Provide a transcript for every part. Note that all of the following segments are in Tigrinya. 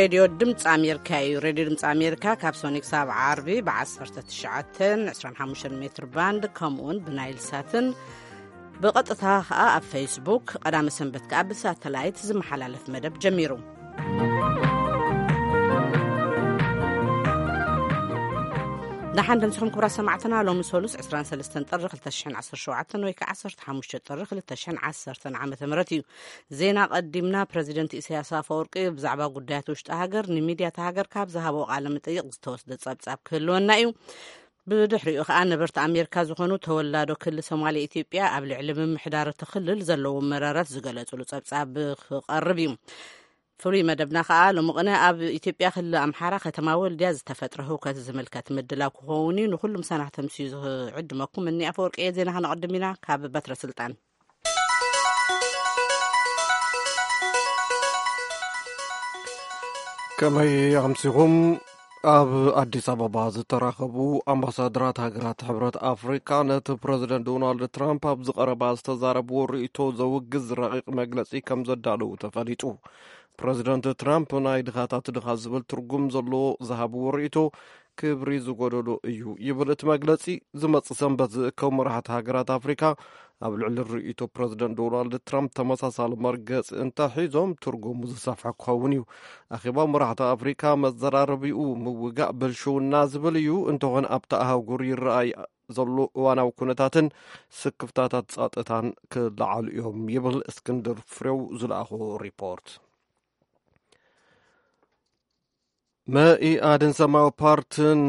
ሬድዮ ድምፂ ኣሜሪካ እዩ። ሬድዮ ድምፂ ኣሜሪካ ካብ ሶኒ ክሳብ ዓርቢ ብ19፣ 25 ሜትር ባንድ፣ ከምኡውን ብናይል ሳትን ብቐጥታ ኸኣ ኣብ ፌስቡክ፣ ቀዳመ ሰንበት ከኣ ብሳተላይት ዝመሓላለፍ መደብ ጀሚሩ። ደሓን ደምስኹም ክቡራት ሰማዕትና። ሎሚ ሰሉስ 23 ጥሪ 2017 ወይ ከዓ 15 ጥሪ 2010 ዓመተ ምህረት እዩ። ዜና ቀዲምና። ፕረዚደንት ኢሳያስ ኣፈወርቂ ብዛዕባ ጉዳያት ውሽጢ ሃገር ንሚድያታት ሃገር ካብ ዝሃቦ ቃለ መጠይቕ ዝተወስደ ጸብጻብ ክህልወና እዩ። ብድሕሪኡ ከኣ ነበርቲ ኣሜሪካ ዝኾኑ ተወላዶ ክልል ሶማሌ ኢትዮጵያ ኣብ ልዕሊ ምምሕዳር እቲ ክልል ዘለዎም መረረት ዝገለጽሉ ጸብጻብ ክቐርብ እዩ። ፍሉይ መደብና ከኣ ሎሚ ቅነ ኣብ ኢትዮጵያ ክልል ኣምሓራ ከተማ ወልድያ ዝተፈጥረ ህውከት ዝምልከት ምድላው ክኸውን እዩ። ንኹሉ ምሳና ክተምስዩ ዝዕድመኩም እኒ ኣፈወርቂ እየ። ዜና ከነቐድም ኢና ካብ በትረ ስልጣን። ከመይ ኣምሲኹም? ኣብ ኣዲስ ኣበባ ዝተራኸቡ ኣምባሳደራት ሃገራት ሕብረት ኣፍሪካ ነቲ ፕረዚደንት ዶናልድ ትራምፕ ኣብዚ ቀረባ ዝተዛረብዎ ርእይቶ ዘውግዝ ረቂቕ መግለጺ ከም ዘዳለዉ ተፈሊጡ። ፕረዚደንት ትራምፕ ናይ ድኻታት ድኻ ዝብል ትርጉም ዘለዎ ዝሃብዎ ርእይቶ ክብሪ ዝጎደሎ እዩ ይብል እቲ መግለጺ። ዝመጽእ ሰንበት ዝእከቡ መራሕቲ ሃገራት ኣፍሪካ ኣብ ልዕሊ ርእይቶ ፕረዚደንት ዶናልድ ትራምፕ ተመሳሳሊ መርገጺ እንተሒዞም ትርጉሙ ዝሰፍሐ ክኸውን እዩ። ኣኼባ መራሕቲ ኣፍሪካ መዘራረቢኡ ምውጋእ ብልሽውና ዝብል እዩ። እንተኾነ ኣብቲ ኣህጉር ይረኣይ ዘሎ እዋናዊ ኩነታትን ስክፍታታት ጸጥታን ክለዓሉ እዮም ይብል እስክንድር ፍሬው ዝለኣኾ ሪፖርት። መኢኣድን ሰማያዊ ፓርትን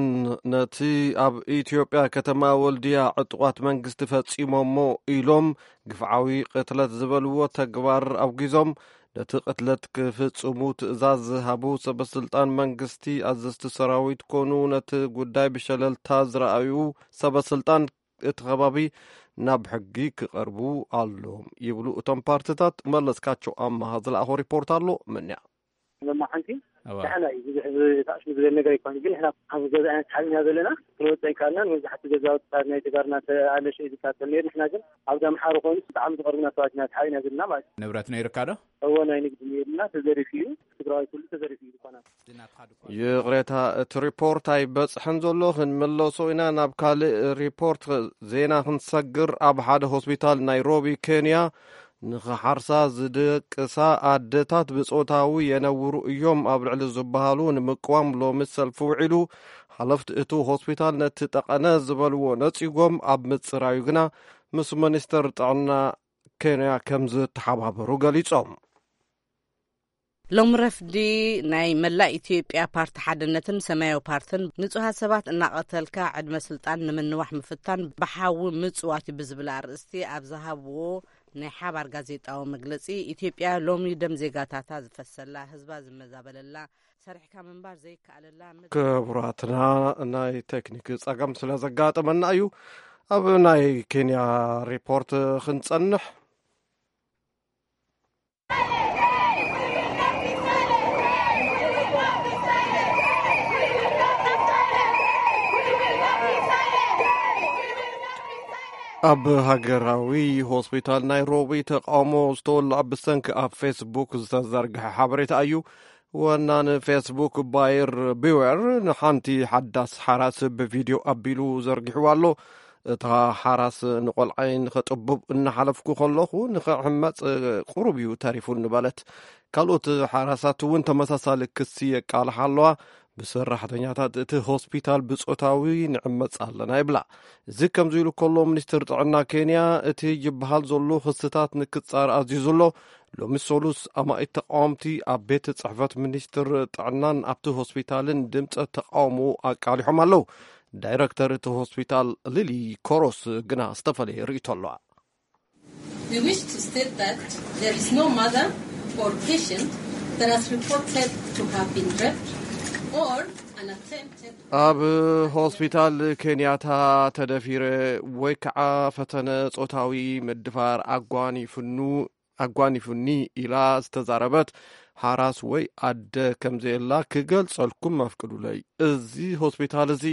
ነቲ ኣብ ኢትዮጵያ ከተማ ወልድያ ዕጡቓት መንግስቲ ፈጺሞሞ ኢሎም ግፍዓዊ ቅትለት ዝበልዎ ተግባር ኣውጊዞም፣ ነቲ ቅትለት ክፍጽሙ ትእዛዝ ዝሃቡ ሰበስልጣን መንግስቲ፣ ኣዘዝቲ ሰራዊት ኮኑ ነቲ ጉዳይ ብሸለልታ ዝረኣዩ ሰበስልጣን እቲ ከባቢ ናብ ሕጊ ክቐርቡ ኣሎም ይብሉ እቶም ፓርትታት። መለስካቸው ኣማሃ ዝለኣኾ ሪፖርት ኣሎ። ምንያ? መማሓንቲ እዋ። ንሕና እዩ ብዙሕ ዝ-፣ ታእሽሙ ዝበል ነገር ኣይኮነ፣ ግን ንሕና ኣብ ገዛ ዓይነት ሓቢና ዘለና ክንወፅእ ኣይከኣልናን። መብዛሕትኡ ገዛውቲ ናይ ተጋርና ተኣለሸ እዩ ዝቃጠል ነይሩ። ንሕና ግን ኣብዚ ኣምሓሩ ኮይኑ ብጣዕሚ ዝቐርቡና ሰባት ኢና ተሓቢና ዘለና ማለት እዩ። ንብረት ነይርካ ዶ? እዎ፣ ናይ ንግዲ ነይርና፣ ተዘሪፉ እዩ። ትግራዋይ ኩሉ ተዘሪፉ እዩ ዝኾነ። ይቕሬታ፣ እቲ ሪፖርት ኣይበጽሐን ዘሎ። ክንመለሶ ኢና ናብ ካልእ ሪፖርት ዜና ክንሰግር። ኣብ ሓደ ሆስፒታል ናይሮቢ ኬንያ ንኽሓርሳ ዝደቅሳ ኣደታት ብጾታዊ የነውሩ እዮም ኣብ ልዕሊ ዝበሃሉ ንምቅዋም ሎሚ ሰልፊ ውዒሉ። ሓለፍቲ እቲ ሆስፒታል ነቲ ጠቐነ ዝበልዎ ነጺጎም ኣብ ምጽራዩ ግና ምስ ሚኒስተር ጥዕና ኬንያ ከም ዝተሓባበሩ ገሊጾም። ሎም ረፍዲ ናይ መላእ ኢትዮጵያ ፓርቲ ሓድነትን ሰማያዊ ፓርትን ንጹሃት ሰባት እናቐተልካ ዕድመ ስልጣን ንምንዋሕ ምፍታን ብሓዊ ምጽዋት እዩ ብዝብል ኣርእስቲ ኣብ ዝሃብዎ ናይ ሓባር ጋዜጣዊ መግለጺ፣ ኢትዮጵያ ሎሚ ደም ዜጋታታ ዝፈሰላ፣ ህዝባ ዝመዛበለላ፣ ሰሪሕካ ምንባር ዘይከኣለላ ምድሪ። ክቡራትና፣ ናይ ቴክኒክ ጸገም ስለ ዘጋጠመና እዩ። ኣብ ናይ ኬንያ ሪፖርት ክንጸንሕ። ኣብ ሃገራዊ ሆስፒታል ናይሮቢ ተቃውሞ ዝተወልዐ ብሰንኪ ኣብ ፌስቡክ ዝተዘርግሐ ሓበሬታ እዩ። ወናኒ ፌስቡክ ባይር ቢወር ንሓንቲ ሓዳስ ሓራስ ብቪድዮ ኣቢሉ ዘርጊሕዋ ኣሎ። እታ ሓራስ፣ "ንቆልዓይ ንኸጥቡብ እናሓለፍኩ ከለኹ ንኽዕመጽ ቁሩብ እዩ ተሪፉኒ" በለት። ካልኦት ሓራሳት እውን ተመሳሳሊ ክሲ የቃልሓ ኣለዋ። ብሰራሕተኛታት እቲ ሆስፒታል ብጾታዊ ንዕመጽ ኣለና ይብላ። እዚ ከምዚ ኢሉ ከሎ፣ ሚኒስትር ጥዕና ኬንያ እቲ ይበሃል ዘሎ ክስታት ንክጻር ኣዚዙ ኣሎ። ሎሚ ሰሉስ ኣማኢት ተቃወምቲ ኣብ ቤት ጽሕፈት ሚኒስትር ጥዕናን ኣብቲ ሆስፒታልን ድምጸ ተቃውሞ ኣቃሊሖም ኣለዉ። ዳይረክተር እቲ ሆስፒታል ሊሊ ኮሮስ ግና ዝተፈለየ ርእይቶ ኣለዋ። We wish to state that there is no mother or patient that has reported to have been raped or an attempted ኣብ ሆስፒታል ኬንያታ ተደፊረ ወይ ከዓ ፈተነ ጾታዊ ምድፋር ኣጓኒፍኑ ኣጓኒፉኒ ኢላ ዝተዛረበት ሓራስ ወይ ኣደ ከም ዘየላ ክገልጸልኩም ኣፍቅዱለይ። እዚ ሆስፒታል እዚ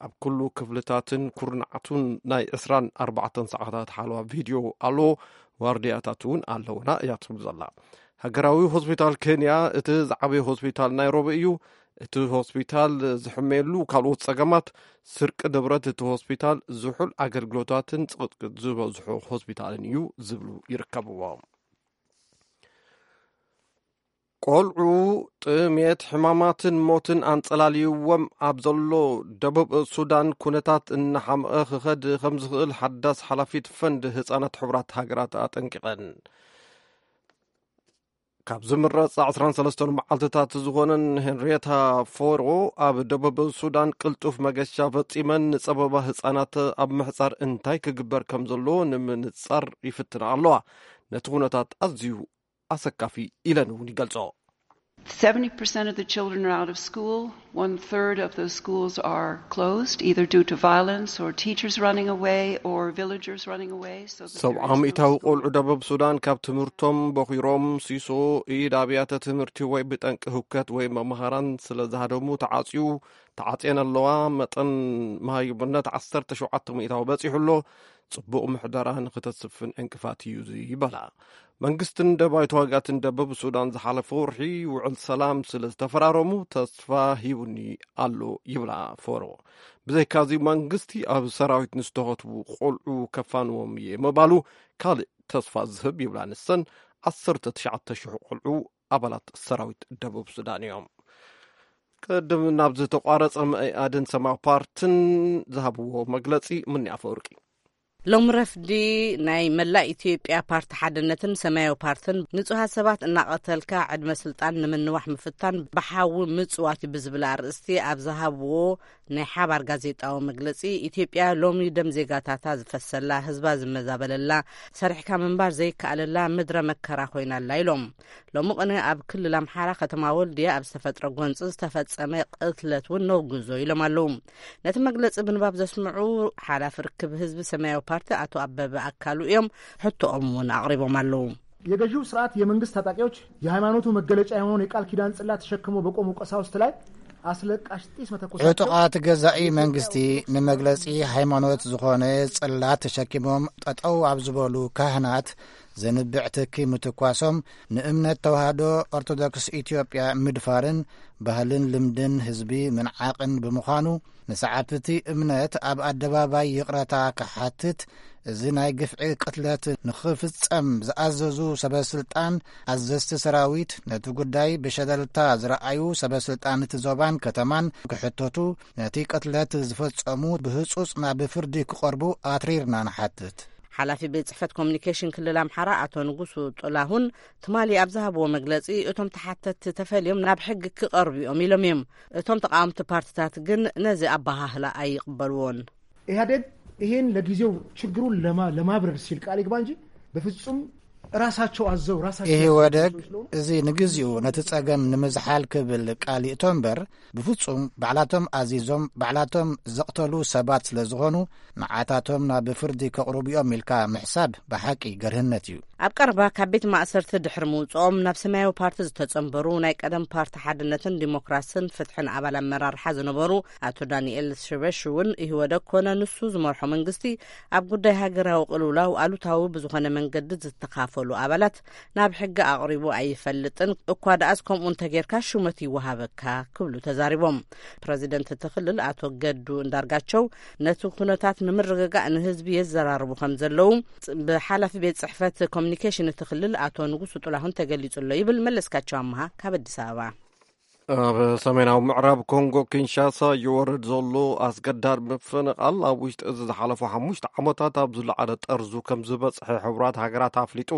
ኣብ ኩሉ ክፍልታትን ኩርናዓቱን ናይ 24 ሰዓታት ሓለዋ ቪድዮ ኣለዎ። ዋርድያታት እውን ኣለውና እያ ትብል ዘላ። ሃገራዊ ሆስፒታል ኬንያ እቲ ዝዓበየ ሆስፒታል ናይሮቢ እዩ። እቲ ሆስፒታል ዝሕመየሉ ካልኦት ጸገማት፣ ስርቂ ንብረት እቲ ሆስፒታል፣ ዝሑል ኣገልግሎታትን ጽቕጥቅጥ ዝበዝሖ ሆስፒታልን እዩ ዝብሉ ይርከብዎም። ቆልዑ ጥሜት፣ ሕማማትን ሞትን ኣንጸላልይዎም ኣብ ዘሎ ደቡብ ሱዳን፣ ኩነታት እናሓመቐ ክኸድ ከም ዝኽእል ሓዳስ ሓላፊት ፈንድ ህጻናት ሕቡራት ሃገራት ኣጠንቂቐን። ካብ ዝምረጽ ዓሰርተ ሰለስተ መዓልትታት ዝኾነን ሄንሪየታ ፎሮ፣ ኣብ ደቡብ ሱዳን ቅልጡፍ መገሻ ፈጺመን ንጸበባ ህጻናት ኣብ ምሕጻር እንታይ ክግበር ከም ዘለዎ ንምንጻር ይፍትና ኣለዋ። ነቲ ኩነታት ኣዝዩ ኣሰካፊ ኢለን እውን ይገልጾ። Seventy percent of the children are out of school. One third of those schools are closed, either due to violence or teachers running away or villagers running away. So the ሰብዓ parents ሚእታዊ don't ቆልዑ ደቡብ ሱዳን ካብ ትምህርቶም በኺሮም፣ ሲሶ ኢድ ኣብያተ ትምህርቲ ወይ ብጠንቂ ህውከት ወይ መምሃራን ስለ ዝሃደሙ ተዓጽዩ፣ ተዓጽየን ኣለዋ። መጠን መሃይምነት ዓሰርተ ሸውዓተ ሚእታዊ በጺሑ ኣሎ። ጽቡቕ ምሕደራ ንክተስፍን ዕንቅፋት እዩ እዚ ይበላ። መንግስትን ደባይ ተዋጋትን ደቡብ ሱዳን ዝሓለፈ ወርሒ ውዕል ሰላም ስለ ዝተፈራረሙ ተስፋ ሂቡኒ ኣሎ ይብላ ፎሮ። ብዘይካዚ መንግስቲ ኣብ ሰራዊት ንዝተኸትቡ ቆልዑ ከፋንዎም እየ ምባሉ ካልእ ተስፋ ዝህብ ይብላ ንሰን። ዓሰርተ ትሽዓተ ሽሕ ቆልዑ ኣባላት ሰራዊት ደቡብ ሱዳን እዮም። ቅድም ናብ ዝተቋረጸ መኢኣድን ሰማያዊ ፓርትን ዝሃብዎ መግለጺ ምንያ ፈወርቂ። ሎም ረፍዲ ናይ መላእ ኢትዮጵያ ፓርቲ ሓድነትን ሰማያዊ ፓርትን ንጹሃት ሰባት እናቐተልካ ዕድመ ስልጣን ንምንዋሕ ምፍታን ብሓዊ ምጽዋት እዩ ብዝብል ኣርእስቲ ኣብ ዝሃብዎ ናይ ሓባር ጋዜጣዊ መግለጺ፣ ኢትዮጵያ ሎሚ ደም ዜጋታታ ዝፈሰላ፣ ህዝባ ዝመዛበለላ፣ ሰሪሕካ ምንባር ዘይከኣለላ ምድረ መከራ ኮይና ኣላ ኢሎም። ሎሚ ቅነ ኣብ ክልል ኣምሓራ ከተማ ወልድያ ኣብ ዝተፈጥረ ጎንፂ ዝተፈፀመ ቅትለት እውን ነውግዞ ኢሎም ኣለዉ። ነቲ መግለፂ ብንባብ ዘስምዑ ሓላፊ ርክብ ህዝቢ ሰማያዊ ፓርቲ ኣቶ ኣበበ ኣካሉ እዮም። ሕቶኦም እውን ኣቕሪቦም ኣለዉ። የገዢው ስርዓት የመንግስት ታጣቂዎች የሃይማኖቱ መገለጫ የሆነውን የቃል ኪዳን ጽላት ተሸክመው በቆሙ ቀሳውስት ላይ አስለቃሽ ጢስ መተኮሳቸው ዕጡቓት ገዛኢ መንግስቲ ንመግለጺ ሃይማኖት ዝኾነ ጽላት ተሸኪሞም ጠጠው ኣብ ዝበሉ ካህናት ዘንብዕ ትኪ ምትኳሶም ንእምነት ተዋህዶ ኦርቶዶክስ ኢትዮጵያ ምድፋርን ባህልን ልምድን ህዝቢ ምንዓቕን ብምዃኑ፣ ንሰዓብቲ እቲ እምነት ኣብ ኣደባባይ ይቕረታ ክሓትት፣ እዚ ናይ ግፍዒ ቅትለት ንኽፍጸም ዝኣዘዙ ሰበስልጣን፣ ኣዘዝቲ ሰራዊት፣ ነቲ ጉዳይ ብሸለልታ ዝረኣዩ ሰበስልጣን እቲ ዞባን ከተማን ክሕተቱ፣ ነቲ ቅትለት ዝፈጸሙ ብህጹጽ ናብ ፍርዲ ክቐርቡ ኣትሪርና ንሓትት። ሓላፊ ቤት ጽሕፈት ኮሚኒኬሽን ክልል ኣምሓራ ኣቶ ንጉሱ ጥላሁን ትማሊ ኣብ ዝሃብዎ መግለጺ፣ እቶም ተሓተትቲ ተፈልዮም ናብ ሕጊ ክቐርቡ እዮም ኢሎም እዮም። እቶም ተቃወምቲ ፓርትታት ግን ነዚ ኣበሃህላ ኣይቕበልዎን። ኢህአዴግ ይሄን ለጊዜው ችግሩን ለማ- ለማብረድ ሲል ቃል ይግባ እንጂ በፍጹም ራሳቸው አዘው ራሳቸው ኢህወደግ ያዘጋጁ ስለሆኑ እዚ ንግዚኡ ነቲ ጸገም ንምዝሓል ክብል ቃል ይእቶ እምበር፣ ብፍጹም ባዕላቶም ኣዚዞም ባዕላቶም ዘቕተሉ ሰባት ስለ ዝኾኑ፣ ንዓታቶም ናብ ፍርዲ ከቕርቡ እዮም ኢልካ ምሕሳብ ብሓቂ ገርህነት እዩ። ኣብ ቀረባ ካብ ቤት ማእሰርቲ ድሕሪ ምውፅኦም ናብ ሰማያዊ ፓርቲ ዝተጸንበሩ ናይ ቀደም ፓርቲ ሓድነትን ዲሞክራስን ፍትሕን ኣባል ኣመራርሓ ዝነበሩ ኣቶ ዳንኤል ሽበሽ እውን ኢህወደግ ኮነ ንሱ ዝመርሖ መንግስቲ ኣብ ጉዳይ ሃገራዊ ቅልውላው ኣሉታዊ ብዝኾነ መንገዲ ዝተኻፈሉ ኣባላት ናብ ሕጊ ኣቕሪቡ ኣይፈልጥን፣ እኳ ደኣስ ከምኡ እንተጌርካ ሹመት ይወሃበካ ክብሉ ተዛሪቦም። ፕረዚደንት እቲ ክልል ኣቶ ገዱ እንዳርጋቸው ነቲ ኩነታት ንምርግጋእ ንህዝቢ የዘራርቡ ከም ዘለዉ ብሓላፊ ቤት ጽሕፈት ኮሚኒኬሽን እቲ ክልል ኣቶ ንጉሱ ጥላሁን ተገሊጹ ኣሎ ይብል መለስካቸው ኣምሃ ካብ ኣዲስ ኣበባ። ኣብ ሰሜናዊ ምዕራብ ኮንጎ ኪንሻሳ ይወርድ ዘሎ ኣስገዳድ ምፍንቓል ኣብ ውሽጢ እዚ ዝሓለፉ ሓሙሽተ ዓመታት ኣብ ዝለዓለ ጠርዙ ከም ዝበጽሐ ሕቡራት ሃገራት ኣፍሊጡ።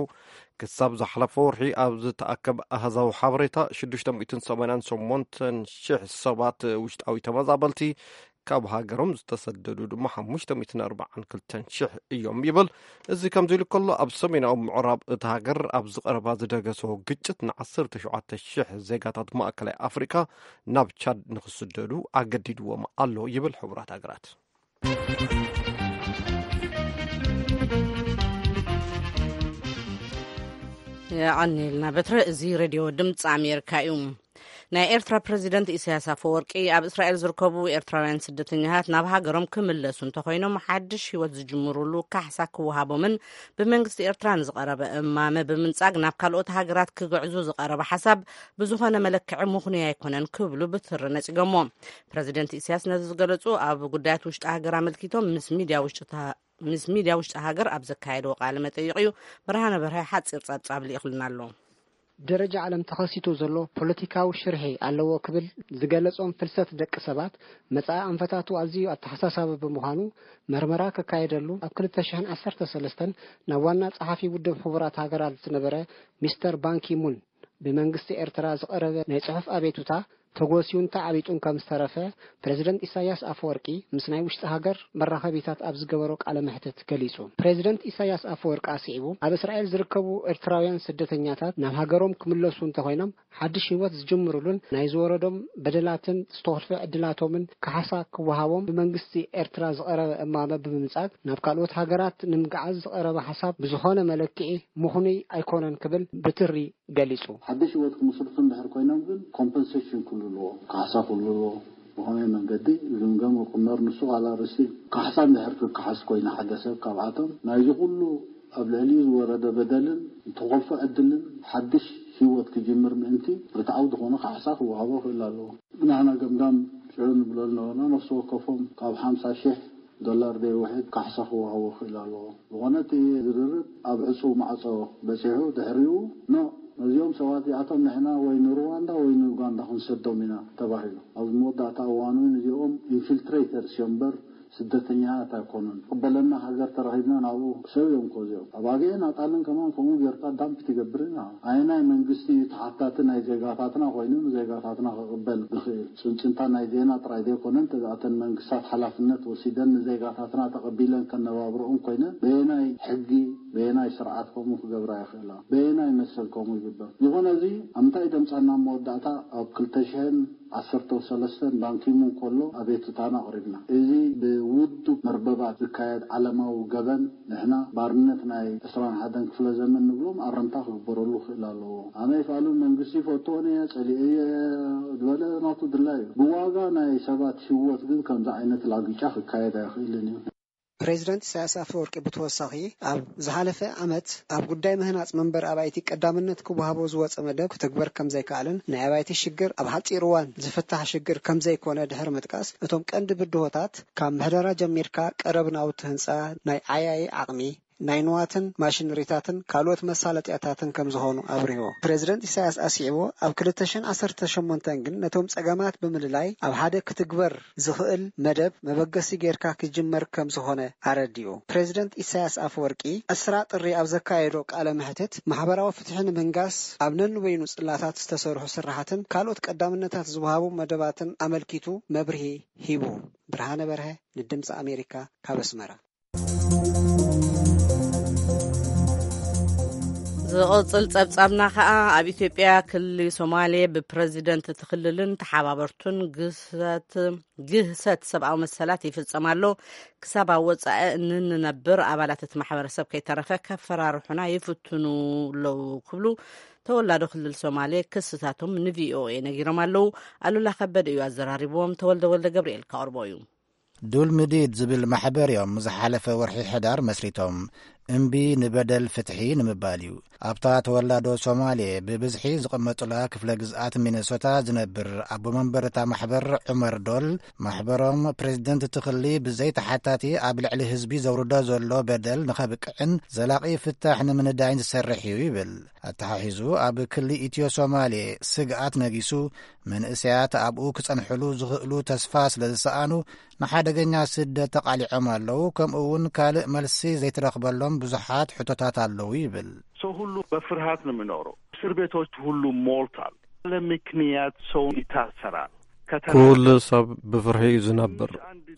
ክሳብ ዝሓለፈ ወርሒ ኣብ ዝተኣከበ ኣሃዛዊ ሓበሬታ ሽዱሽተ ሚእትን ሰማንያን ሸሞንተን ሽሕ ሰባት ውሽጣዊ ተመዛበልቲ፣ ካብ ሃገሮም ዝተሰደዱ ድማ ሓሙሽተ ሚእትን ኣርባዓን ክልተን ሽሕ እዮም ይብል። እዚ ከምዚ ኢሉ ከሎ፣ ኣብ ሰሜናዊ ምዕራብ እቲ ሃገር ኣብ ዝቐረባ ዝደገሶ ግጭት ንዓሰርተ ሸውዓተ ሽሕ ዜጋታት ማእከላይ ኣፍሪካ ናብ ቻድ ንክስደዱ ኣገዲድዎም ኣሎ ይብል ሕቡራት ሃገራት። የቐኒልና በትረ። እዚ ሬድዮ ድምፂ ኣሜሪካ እዩ። ናይ ኤርትራ ፕረዚደንት ኢሳያስ ኣፈወርቂ፣ ኣብ እስራኤል ዝርከቡ ኤርትራውያን ስደተኛታት ናብ ሃገሮም ክምለሱ እንተኾይኖም፣ ሓድሽ ህይወት ዝጅምሩሉ ካሕሳ ክወሃቦምን ብመንግስቲ ኤርትራ ንዝቐረበ እማመ ብምንጻግ ናብ ካልኦት ሃገራት ክግዕዙ ዝቐረበ ሓሳብ ብዝኾነ መለክዒ ምኽኑይ ኣይኮነን ክብሉ ብትሪ ነጺጎሞ። ፕረዚደንት ኢሳያስ ነዚ ዝገለጹ፣ ኣብ ጉዳያት ውሽጢ ሃገር ኣመልኪቶም ምስ ሚድያ ውሽጢ ተ-፣ ምስ ሚድያ ውሽጢ ሃገር ኣብ ዘካየድዎ ቃለ መጠይቕ እዩ። ብርሃነ በርሀ ሓጺር ጸብጻብ ልኢኹልና ኣሎ። ደረጃ ዓለም ተኸሲቱ ዘሎ ፖለቲካዊ ሽርሒ ኣለዎ ክብል ዝገለጾም ፍልሰት ደቂ ሰባት፣ መጻኢ ኣንፈታቱ ኣዝዩ ኣተሓሳሳቢ ብምዃኑ፣ መርመራ ክካየደሉ ኣብ ክልተ ሽሕን ዓሰርተ ሰለስተን ናብ ዋና ጸሓፊ ውድብ ሕቡራት ሃገራት ዝነበረ ሚስተር ባንኪ ሙን ብመንግስቲ ኤርትራ ዝቐረበ ናይ ጽሑፍ ኣቤቱታ ተጎስዩን ተዓቢጡን ከም ዝተረፈ፣ ፕረዚደንት ኢሳያስ ኣፈወርቂ ምስ ናይ ውሽጢ ሃገር መራኸቢታት ኣብ ዝገበሮ ቃለ መሕትት ገሊጹ። ፕረዚደንት ኢሳያስ ኣፈወርቂ ኣስዒቡ፣ ኣብ እስራኤል ዝርከቡ ኤርትራውያን ስደተኛታት ናብ ሃገሮም ክምለሱ እንተኾይኖም፣ ሓድሽ ህይወት ዝጅምሩሉን ናይ ዝወረዶም በደላትን ዝተኾልፈ ዕድላቶምን ካሕሳ ክወሃቦም ብመንግስቲ ኤርትራ ዝቐረበ እማመ ብምምጻግ፣ ናብ ካልኦት ሃገራት ንምግዓዝ ዝቐረበ ሓሳብ ብዝኾነ መለክዒ ምኽኑይ ኣይኮነን ክብል ብትሪ ገሊጹ። ሓድሽ ህይወት ክምስርቱ እንድሕር ኮይኖም ግን ኮምፐንሴሽን ክህሉ ኣለዎ፣ ካሕሳ ክህሉ ኣለዎ። ብኸመይ መንገዲ ዝግምገም ክቕመር ንሱ ካልእ ኣርእስቲ እዩ። ካሕሳ እንድሕር ክከሓስ ኮይነ ሓደ ሰብ ካብኣቶም ናይዚ ኩሉ ኣብ ልዕሊኡ ዝወረደ በደልን ዝተኾልፎ ዕድልን ሓድሽ ህይወት ክጅምር ምእንቲ ርትዓዊ ዝኾነ ካሕሳ ክወሃቦ ክእል ኣለዎ። ንሕና ገምጋም ሽዑ ንብሎ ዝነበርና ነፍሲ ወከፎም ካብ ሓምሳ ሽሕ ዶላር ዘይውሕድ ካሕሳ ክወሃቦ ክእል ኣለዎ። ዝኾነ እቲ ዝርርብ ኣብ ዕጹው ማዕጾ በጺሑ ድሕሪኡ ኖ ነዚኦም ሰባት እዚኣቶም ንሕና ወይ ንሩዋንዳ ወይ ንኡጋንዳ ክንሰዶም ኢና ተባሂሉ። ኣብ መወዳእታ እዋን እውን እዚኦም ኢንፊልትሬተርስ እዮም እምበር ስደተኛታት ኣይኮኑን። ቅበለና ሃገር ተረኺብና ናብኡ ሰብ እዮም እኮ እዚኦም። ኣብ ኣገየን ኣጣልን ከማን ከምኡ ጌርካ ዳምፕ ትገብር ኢና። ኣየናይ መንግስቲ እዩ ተሓታቲ ናይ ዜጋታትና ኮይኑ ንዜጋታትና ክቕበል ዝኽእል? ጽንጽንታ ናይ ዜና ጥራይ ዘይኮነ እንተ እተን መንግስታት ሓላፍነት ወሲደን ንዜጋታትና ተቐቢለን ከነባብረኦም ኮይነን በየናይ ሕጊ በየናይ ስርዓት ከምኡ ክገብራ ይኽእላ? በየናይ መሰል ከምኡ ይግበር? ዝኾነ እዚ ኣብ ምንታይ ደምጻና መወዳእታ ኣብ ክልተ ሽሕን ዓሰርተ ሰለስተን ባንኪሙን ከሎ ኣቤቱታና ኣቕሪብና። እዚ ብውዱብ መርበባት ዝካየድ ዓለማዊ ገበን ንሕና ባርነት ናይ ዕስራን ሓደን ክፍለ ዘመን ንብሎም ኣረምታ ክግበረሉ ክእል ኣለዎ። ኣነ ይፍኣሉ መንግስቲ ይፈትዎን እየ፣ ጸሊኤዮ እየ ዝበለ ናቱ ድላይ እዩ። ብዋጋ ናይ ሰባት ህይወት ግን ከምዚ ዓይነት ላግጫ ክካየድ ኣይኽእልን እዩ። ፕሬዚደንት ኢሳያስ ኣፈወርቂ ብተወሳኺ፣ ኣብ ዝሓለፈ ዓመት ኣብ ጉዳይ ምህናጽ መንበሪ ኣባይቲ ቀዳምነት ክወሃቦ ዝወጸ መደብ ክትግበር ከም ዘይከኣለን፣ ናይ ኣባይቲ ሽግር ኣብ ሓጺር እዋን ዝፍታሕ ሽግር ከም ዘይኮነ ድሕሪ ምጥቃስ፣ እቶም ቀንዲ ብድሆታት ካብ ምሕደራ ጀሚርካ ቀረብ ናውቲ ህንጻ፣ ናይ ዓያዪ ዓቕሚ፣ ናይ ንዋትን ማሽነሪታትን ካልኦት መሳለጥያታትን ከም ዝኾኑ ኣብሪሁ። ፕሬዚደንት ኢሳያስ ኣስዒቡ፣ ኣብ ክልተ ሽሕን ዓሰርተ ሸሞንተን ግን ነቶም ጸገማት ብምልላይ ኣብ ሓደ ክትግበር ዝኽእል መደብ መበገሲ ጌርካ ክጅመር ከም ዝኾነ ኣረዲኡ። ፕሬዚደንት ኢሳያስ ኣፈወርቂ ዕስራ ጥሪ ኣብ ዘካየዶ ቃለ መሕትት፣ ማሕበራዊ ፍትሒ ንምንጋስ ኣብ ነንበይኑ ጽላታት ዝተሰርሑ ስራሓትን ካልኦት ቀዳምነታት ዝወሃቡ መደባትን ኣመልኪቱ መብርሂ ሂቡ። ብርሃነ በርሀ ንድምፂ ኣሜሪካ ካብ ኣስመራ። ዝቕጽል ጸብጻብና ከኣ ኣብ ኢትዮጵያ ክልል ሶማሌ ብፕረዚደንት እቲ ክልልን ተሓባበርቱን ግህሰት፣ ግህሰት ሰብኣዊ መሰላት ይፍጸም ኣሎ። ክሳብ ኣብ ወጻኢ እንንነብር ኣባላት እቲ ማሕበረሰብ ከይተረፈ ከፈራርሑና ይፍትኑ ኣለዉ ክብሉ ተወላዶ ክልል ሶማሌ ክስታቶም ንቪኦኤ ነጊሮም ኣለዉ። ኣሉላ ከበደ እዩ ኣዘራሪብዎም። ተወልደ ወልደ ገብርኤል ከቕርቦ እዩ። ዱልምዲድ ዝብል ማሕበር እዮም ዝሓለፈ ወርሒ ሕዳር መስሪቶም። እምቢ ንበደል ፍትሒ ንምባል እዩ። ኣብታ ተወላዶ ሶማሌ ብብዝሒ ዝቕመጡላ ክፍለ ግዝኣት ሚነሶታ ዝነብር ኣቦ መንበር እታ ማሕበር ዑመር ዶል፣ ማሕበሮም ፕሬዝደንት እቲ ክሊ ብዘይ ተሓታቲ ኣብ ልዕሊ ህዝቢ ዘውርዶ ዘሎ በደል ንኸብቅዕን ዘላቒ ፍታሕ ንምንዳይን ዝሰርሕ እዩ ይብል። ኣተሓሒዙ ኣብ ክሊ ኢትዮ ሶማሌ ስግኣት ነጊሱ፣ መንእሰያት ኣብኡ ክጸንሕሉ ዝኽእሉ ተስፋ ስለ ዝሰኣኑ፣ ንሓደገኛ ስደት ተቓሊዖም ኣለዉ፣ ከምኡ እውን ካልእ መልሲ ዘይተረኽበሎም ብዙሓት ሕቶታት ኣለዉ ይብል። ሰው ሁሉ በፍርሃት ነው የሚኖረው። እስር ቤቶች ሁሉ ሞልቷል። ያለ ምክንያት ሰው ይታሰራል። ከተራ ኩሉ ሰብ ብፍርሒ እዩ ዝነብር።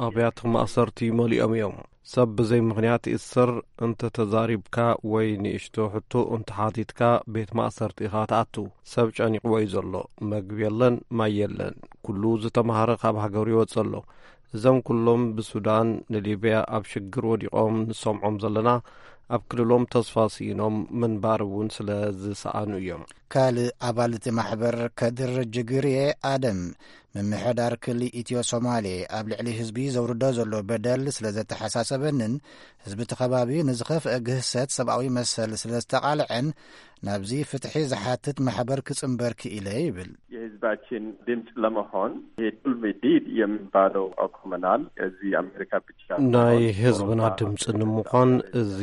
ኣብያተ ማእሰርቲ መሊኦም እዮም። ሰብ ብዘይ ምኽንያት ይእሰር። እንተ ተዛሪብካ ወይ ንእሽቶ ሕቶ እንተ ሓቲትካ ቤት ማእሰርቲ ኢኻ ትኣቱ። ሰብ ጨኒቕዎ እዩ ዘሎ። መግቢ የለን፣ ማይ የለን። ኩሉ ዝተማህረ ካብ ሃገሩ ይወጽእ ኣሎ። እዞም ኩሎም ብሱዳን ንሊብያ ኣብ ሽግር ወዲቖም ንሰምዖም ዘለና፣ ኣብ ክልሎም ተስፋ ስኢኖም ምንባር እውን ስለ ዝሰኣኑ እዮም። ካልእ ኣባል እቲ ማሕበር ከድር ጅግርየ ኣደም፣ ምምሕዳር ክሊ ኢትዮ ሶማሌ ኣብ ልዕሊ ህዝቢ ዘውርዶ ዘሎ በደል ስለ ዘተሓሳሰበንን ህዝቢ እቲ ከባቢ ንዝኸፍአ ግህሰት ሰብኣዊ መሰል ስለ ዝተቓልዐን ናብዚ ፍትሒ ዝሓትት ማሕበር ክጽንበር ክኢለ ይብል። የህዝባችን ድምፅ ለመሆን ይሄ ዱልሚ ዲድ የሚባለው አቁመናል። እዚህ አሜሪካ ብቻ ናይ ህዝብና ድምፂ ንምዃን እዚ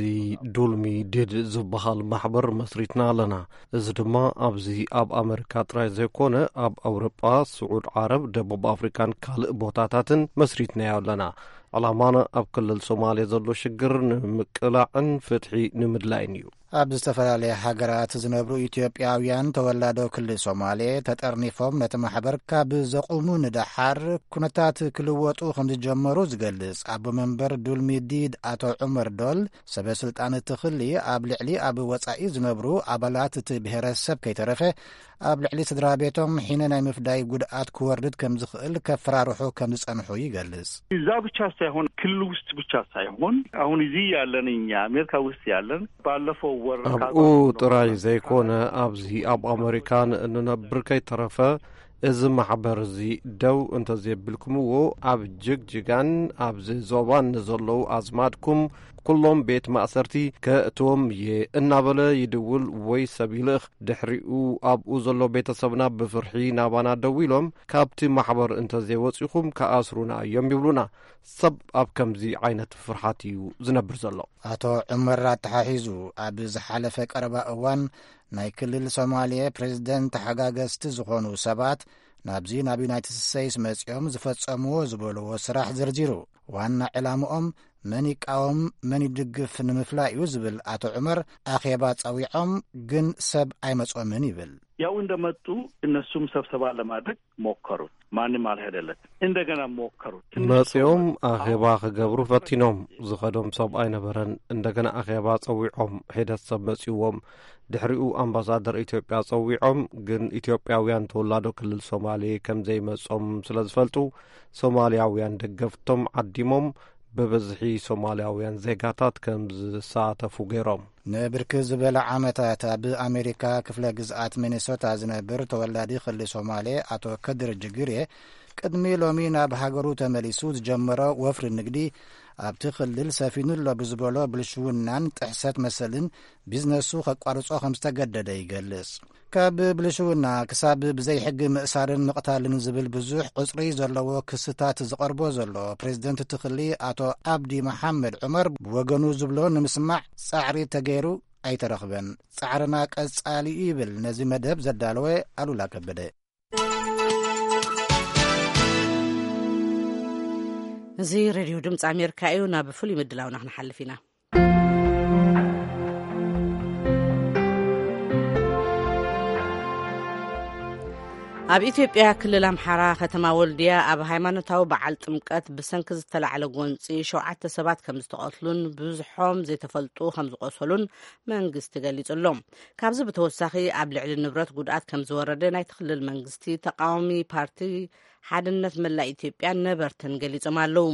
ዱልሚ ዲድ ዝበሃል ማሕበር መስሪትና ኣለና። እዚ ድማ ኣብዚ ኣብ ኣመሪካ ጥራይ ዘይኮነ፣ ኣብ ኣውሮጳ፣ ስዑድ ዓረብ፣ ደቡብ ኣፍሪካን ካልእ ቦታታትን መስሪትናዮ ኣለና። ዕላማና ኣብ ክልል ሶማሌ ዘሎ ሽግር ንምቅላዕን ፍትሒ ንምድላይን እዩ። ኣብ ዝተፈላለያ ሃገራት ዝነብሩ ኢትዮጵያውያን ተወላዶ ክልል ሶማሌ ተጠርኒፎም ነቲ ማሕበር ካብ ዘቑሙ ንደሓር ኩነታት ክልወጡ ከም ዝጀመሩ ዝገልጽ ኣቦ መንበር ዱልሚ ዲድ ኣቶ ዑመር ዶል፣ ሰበ ስልጣን እቲ ክሊ ኣብ ልዕሊ ኣብ ወጻኢ ዝነብሩ ኣባላት እቲ ብሄረሰብ ከይተረፈ ኣብ ልዕሊ ስድራ ቤቶም ሒነ ናይ ምፍዳይ ጉድኣት ክወርድ ከም ዝኽእል ከፈራርሑ ከም ዝጸንሑ ይገልጽ። እዛ ብቻ ሳይሆን ክልል ውስጥ ብቻ ሳይሆን አሁን እዚህ ያለን እኛ አሜሪካ ውስጥ ያለን ባለፈው ወር ኣብኡ ጥራይ ዘይኮነ ኣብዚ ኣብ ኣመሪካን እንነብር ከይተረፈ እዚ ማሕበር እዚ ደው እንተዘየብልኩምዎ ኣብ ጅግጅጋን ኣብዚ ዞባን ንዘለዉ ኣዝማድኩም ኩሎም ቤት ማእሰርቲ ከእትዎም እየ እናበለ ይድውል ወይ ሰብ ይልእኽ። ድሕሪኡ ኣብኡ ዘሎ ቤተሰብና ብፍርሒ ናባና ደው ኢሎም ካብቲ ማሕበር እንተዘይወፂኹም ክኣስሩና እዮም ይብሉና። ሰብ ኣብ ከምዚ ዓይነት ፍርሓት እዩ ዝነብር ዘሎ። ኣቶ ዑመር ኣተሓሒዙ ኣብ ዝሓለፈ ቀረባ እዋን ናይ ክልል ሶማሌ ፕሬዝደንት ተሓጋገዝቲ ዝኾኑ ሰባት ናብዚ ናብ ዩናይትድ ስቴትስ መፂኦም ዝፈፀምዎ ዝበልዎ ስራሕ ዘርዚሩ ዋና ዕላምኦም መን ይቃወም መን ይድግፍ ንምፍላይ እዩ ዝብል ኣቶ ዑመር ኣኼባ ፀዊዖም ግን ሰብ ኣይመፅኦምን ይብል። ያው እንደመጡ እነሱም ሰብሰባ ለማድረግ ሞከሩት። ማንም አልሄደለት። እንደገና ሞከሩት። መጺኦም ኣኼባ ክገብሩ ፈቲኖም። ዝኸዶም ሰብ ኣይነበረን። እንደገና ኣኼባ ጸዊዖም። ሒደት ሰብ መጺዎም። ድሕሪኡ ኣምባሳደር ኢትዮጵያ ጸዊዖም፣ ግን ኢትዮጵያውያን ተወላዶ ክልል ሶማሌ ከም ዘይመጾም ስለ ዝፈልጡ ሶማልያውያን ደገፍቶም ዓዲሞም ብብዝሒ ሶማልያውያን ዜጋታት ከም ዝሳተፉ ገይሮም። ንብርክት ዝበለ ዓመታት ኣብ ኣሜሪካ ክፍለ ግዝኣት ሚኒሶታ ዝነብር ተወላዲ ክሊ ሶማሌ ኣቶ ከድር ጅግሬ ቅድሚ ሎሚ ናብ ሃገሩ ተመሊሱ ዝጀመሮ ወፍሪ ንግዲ ኣብቲ ክልል ሰፊኑ ኣሎ ብዝበሎ ብልሽውናን ጥሕሰት መሰልን ቢዝነሱ ከቋርጾ ከም ዝተገደደ ይገልጽ። ካብ ብልሽውና ክሳብ ብዘይሕጊ ምእሳርን ምቕታልን ዝብል ብዙሕ ቁጽሪ ዘለዎ ክስታት ዝቐርቦ ዘሎ ፕሬዝደንት እቲ ክሊ ኣቶ ኣብዲ መሓመድ ዑመር ብወገኑ ዝብሎ ንምስማዕ ጻዕሪ ተገይሩ ኣይተረኽበን። ጻዕርና ቀጻሊ እዩ ይብል ነዚ መደብ ዘዳለወ ኣሉላ ከበደ። እዚ ሬድዮ ድምፂ ኣሜሪካ እዩ። ናብ ፍሉይ ምድላውና ክንሓልፍ ኢና። ኣብ ኢትዮጵያ ክልል ኣምሓራ ከተማ ወልድያ ኣብ ሃይማኖታዊ በዓል ጥምቀት ብሰንኪ ዝተላዕለ ጎንፂ ሸውዓተ ሰባት ከም ዝተቐትሉን ብዙሖም ዘይተፈልጡ ከም ዝቆሰሉን መንግስቲ ገሊጹ ኣሎ። ካብዚ ብተወሳኺ ኣብ ልዕሊ ንብረት ጉድኣት ከም ዝወረደ ናይቲ ክልል መንግስቲ ተቃዋሚ ፓርቲ ሓድነት መላእ ኢትዮጵያን ነበርትን ገሊጾም ኣለዉ።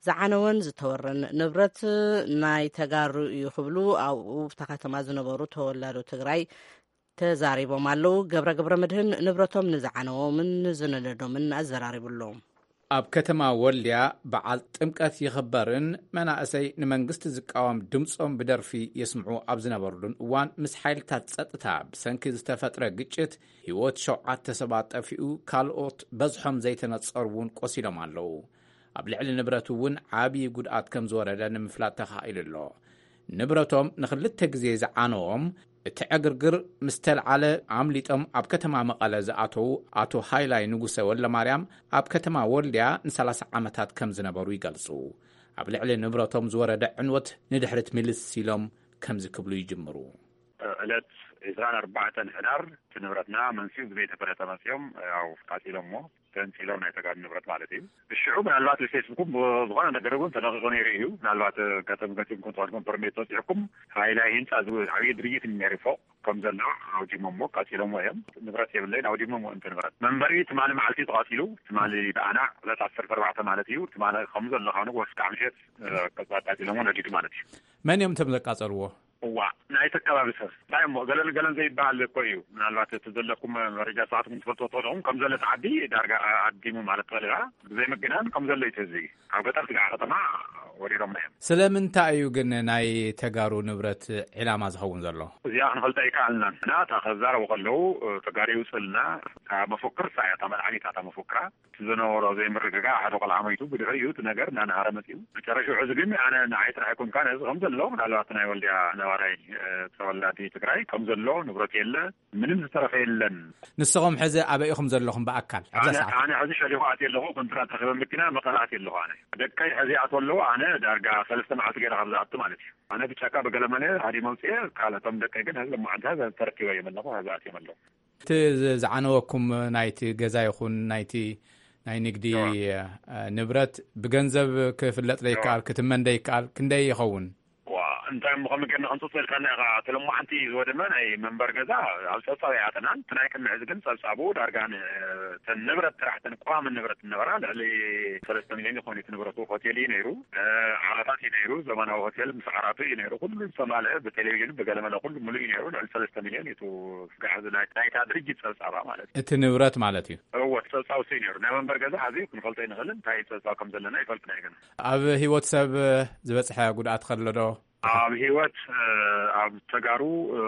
ዝዓነወን ዝተወረን ንብረት ናይ ተጋሩ እዩ ክብሉ ኣብኡ ኣብታ ከተማ ዝነበሩ ተወላዶ ትግራይ ተዛሪቦም ኣለዉ። ገብረ ገብረ መድህን ንብረቶም ንዝዓነዎምን ንዝነደዶምን ኣዘራሪቡ ኣሎ። ኣብ ከተማ ወልድያ በዓል ጥምቀት ይኽበርን መናእሰይ ንመንግስቲ ዝቃወም ድምፆም ብደርፊ የስምዑ ኣብ ዝነበሩሉን እዋን ምስ ሓይልታት ፀጥታ ብሰንኪ ዝተፈጥረ ግጭት ህይወት ሸውዓተ ሰባት ጠፊኡ ካልኦት በዝሖም ዘይተነፀሩ እውን ቆሲሎም ኣለዉ። ኣብ ልዕሊ ንብረት እውን ዓብዪ ጉድኣት ከም ዝወረደ ንምፍላጥ ተኻኢሉ ኣሎ። ንብረቶም ንኽልተ ግዜ ዝዓነዎም እቲ ዕግርግር ምስ ተልዓለ ኣምሊጦም ኣብ ከተማ መቐለ ዝኣተዉ ኣቶ ሃይላይ ንጉሰ ወልደማርያም ኣብ ከተማ ወልድያ ንሰላሳ ዓመታት ከም ዝነበሩ ይገልጹ። ኣብ ልዕሊ ንብረቶም ዝወረደ ዕንወት ንድሕሪት ምልስ ኢሎም ከምዚ ክብሉ ይጅምሩ። ዕለት ዕስራን ኣርባዕተን ሕዳር እቲ ንብረትና መንስኡ ብዘይተፈለጠ መጺኦም ያው ቃጺሎሞ። ተንፂሎም ናይ ተጋሩ ንብረት ማለት እዩ። ብሽዑ ምናልባት ብፌስቡክም ዝኾነ ነገር እውን ተለቂቑ ነይሩ እዩ። ምናልባት ከተም ገፂም ኮንትራትኩም ፐርሜት ተወፂዕኩም ሃይላይ ህንፃ ዝብል ዓብዪ ድርጅት ነይሩ ፎቕ ከም ዘሎ ኣውዲሞሞ ቀፂሎሞ እዮም። ንብረት የብለይን ኣውዲሞሞ እንተ ንብረት መንበሪ ትማሊ መዓልቲ ተቐፂሉ ትማሊ ብኣና ዕለት ዓሰርተ ኣርባዕተ ማለት እዩ። ትማሊ ከም ዘሎ ካኑ ወስካ ምሸት ቀፃ ቀፂሎሞ ነዲዱ ማለት እዩ። መን እዮም እቶም ዘቃፀልዎ? እዋ ናይቲ ኣከባቢ ሰብ እንታይ እሞ ገለን ገለን ዘይበሃል እኮ እዩ። ምናልባት እቲ ዘለኩም መረጃ ሰዓትኩም ትፈልጥዎ ትኾንኹም ከም ዘሎ እቲ ዓዲ ዳርጋ ኣዲሙ ማለት ትኽእል ኢኻ። ብዘይ ምግናን ከም ዘሎ እዩ እቲ ህዝቢ ኣብ ገጠር ስጋዕ ከተማ ወሪሮም እዮም። ስለምንታይ እዩ ግን ናይ ተጋሩ ንብረት ዕላማ ዝኸውን ዘሎ? እዚኣ ክንፈልጣ ይከኣልና እና እታ ከዛረቡ ከለዉ ተጋሩ ይውፅልና እታ መፎክር እሳ እያ እታ መድሓኒት እታ መፎክራ ዝነበሮ ዘይምርግጋእ ሓደ ቆልዓ ሞይቱ ብድሕሪኡ እቲ ነገር እናነሃረ መፂኡ መጨረሽዑ እዚ ግን ኣነ ንዓይ ጥራሕ ኣይኮንካ ነዚ ከም ዘሎ ምናልባት ናይ ወልድያ ነባራይ ተወላዲ ትግራይ ከም ዘሎ ንብረት የለ ምንም ዝተረፈ የለን። ንስኹም ሕዚ ኣበይ ኢኹም ዘለኹም ብኣካል ኣብዛ ኣነ ሰዓት? ኣነ ሕዚ ሸሊኹ ኣት ኣለኹ ኮንትራት ረኪበ መኪና መቐለ ኣት ኣለኹ ኣነ ደቀይ ሕዚ ኣት ኣለዉ ኣነ ዳርጋ ሰለስተ መዓልቲ ገይረ ካብ ዝኣቱ ማለት እዩ። ኣነ ብጫካ ብገለመለ ሃዲ መውፅኤ ካልእቶም ደቀይ ግን ሕዚ መዓልቲ ሕዚ ተረኪበ እዮም ኣለኹ ሕዚ ኣት እዮም ኣለኹ። እቲ ዝ- ዝዓነወኩም ናይቲ ገዛ ይኹን ናይቲ ናይ ንግዲ እዋ። እ፣ ንብረት ብገንዘብ ክፍለጥ እዋ። ደይከኣል ክትመን ደይከኣል ክንደይ ይኸውን? ዋ እንታይ እሞ ከም ገና ክንፅፅል ከና ኢኻ ተለማዓንቲ ዝወደመ ናይ መንበር ገዛ ኣብ ፀብፃብ ኣይኣተናን እቲ ናይ ቅድሚ ሕዚ ግን ፀብፃቡ ዳርጋ ን- ተን ንብረት ጥራሕ ተን ቋሚ ንብረት ነበራ ልዕሊ ሰለስተ ሚሊዮን ይኾን እቲ ንብረቱ ሆቴል እዩ ነይሩ። ዓራታት እዩ ነይሩ ዘመናዊ ሆቴል ምስ ዓራቱ እዩ ነይሩ ኩሉ ዝተማልአ ብቴሌቪዥን ብገለመለ ኩሉ ሙሉእ እዩ ነይሩ ልዕሊ ሰለስተ ሚሊዮን እዩ እቲ ጋሕዚ ናይ ናይታ ድርጅት ፀብፃባ ማለት እዩ። እቲ ንብረት ማለት እዩ። እወ እቲ ፀብፃብ እሱ እዩ ነይሩ ናይ መንበር ገዛ ሕዚ ክንፈልጦ ይንኽእል እንታይ ፀብፃብ ከም ዘለና ይፈልጥ ናይ ገና። ኣብ ህይወት ሰብ ዝበፅሐ ጉድኣት ከሎ ዶ? ኣብ ህይወት ኣብ ተጋሩ